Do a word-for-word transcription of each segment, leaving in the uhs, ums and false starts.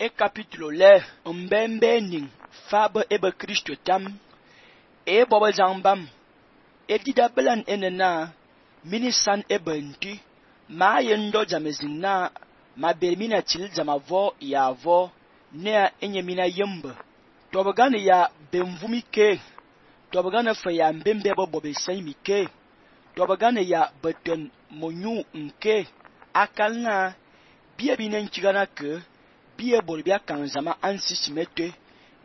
e capítulo le mbembe ning fabe ebe Kristo tam e bobo jambam e dida belan enena minisan ebe nti ma yendo jamezin na ma bermina til jamavo ya vo ne enye mina yembe tobagane ya benvumi ke tobagane fa ya mbembe bo bobe sai mi ke tobagane ya beten monyu nke akalna bie binen kigana ke bie bolbia kanzama ansi simete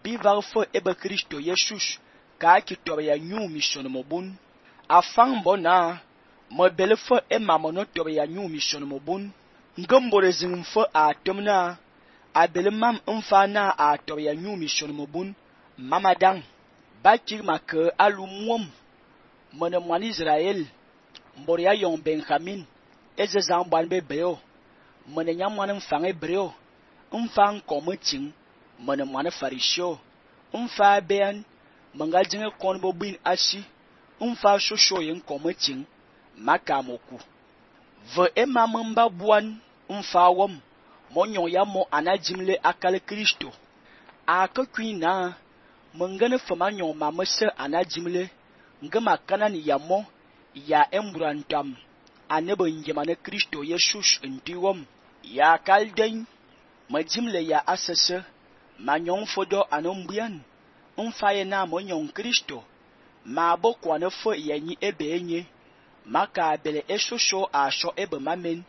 bi varfo ebe Kristo Jesus ka ki toba ya nyu mission mobun afan bona mo belefo e mamono toba ya nyu mission mobun ngombore zinfo atomna abele mam mfa na a toba ya nyu mission mobun mamadang bakir make alumwom mona mwan Israel mbor ya yon Benjamin eze zamban be beo mona nyamwan mfange breo mfang kometing mona mwan farisio mfa ben manga jinge kon bo bin ashi mfa shosho yen kometing makamoku ve emamamba buan mfa wom monyo ya mo anajimle akale Kristo akakwina mangane fama nyon mamese anajimle ngama kanani ya mo ya emburantam anebo njemane Kristo Jesus ndiwom ya kalden majimle ya asese manyon fodo anombian mfaye na monyon Kristo ma bokwa ne fo yanyi ebe enye maka bele eshosho asho ebe mamen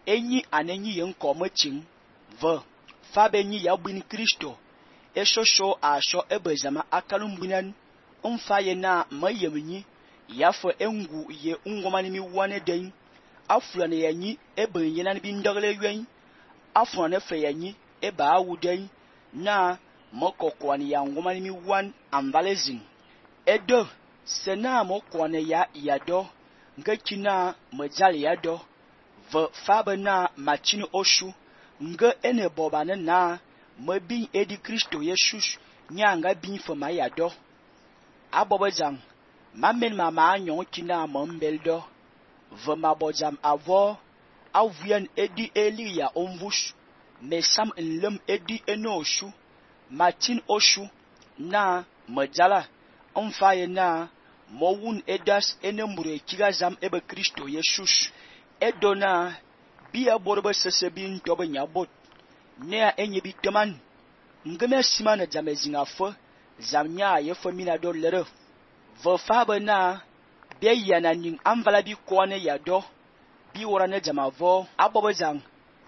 enyi anenyi yenkomachin ve fabenyi ya bin Kristo eshosho asho ebe zama akalumbinan mfaye na mayemnyi yafo engu ye ungomani mi wane den afulane yanyi ebe nyenan bi ndagle ywen afulane fe yanyi ebe awuden na mokokwani ya ngomani mi wan ambalezin edo sena mokwane ya yado ngekina majali yado ve fabe na machini oshu nge ene bobane na mabin edi Kristo Jesus nyanga bin fama yado abobajang mamen mama anyon kina mombeldo ve mabojam avo avuyen edi eli ya omvush mesam enlem edi enoshu machin oshu na majala mfaye na mowun edas enembure kigazam ebe Kristo Jesus edona biya borbe sesebin tobe nyabot ne enye biteman ngeme simana jamezinga fo zamnya ye fo mina do lere vo fabe na biya yana ning amvala bi kone ya do bi worane jamavo abobozang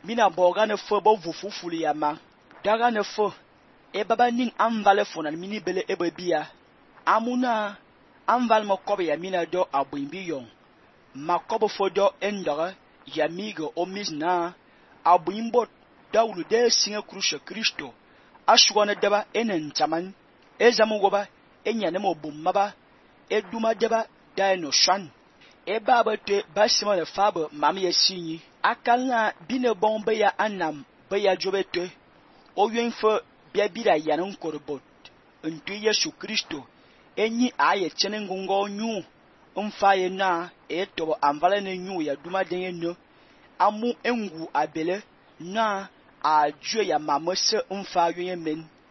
mina bogane fo bo vufufuli ya ma daga ne fo e baba ning amvale fo na mini bele ebe biya amuna amval mokobe ya mina do abwimbi yon makobo fo do endore ya migo omizna abwimbot dawlu de singa krusha Kristo ashwana deba enen taman ezamu goba enyane mo bummaba eduma deba daino shan e baba te basima le fabe mam ye sinyi akalna bine bombe ya anam be ya jobete o yenfo bia bira yanan korbot ntu Yesu Kristo enyi aye chenengungo nyu mfaye na etobo amvale ne nyu ya duma denye no amu engu abele na ajue ya mamese mfa yoye men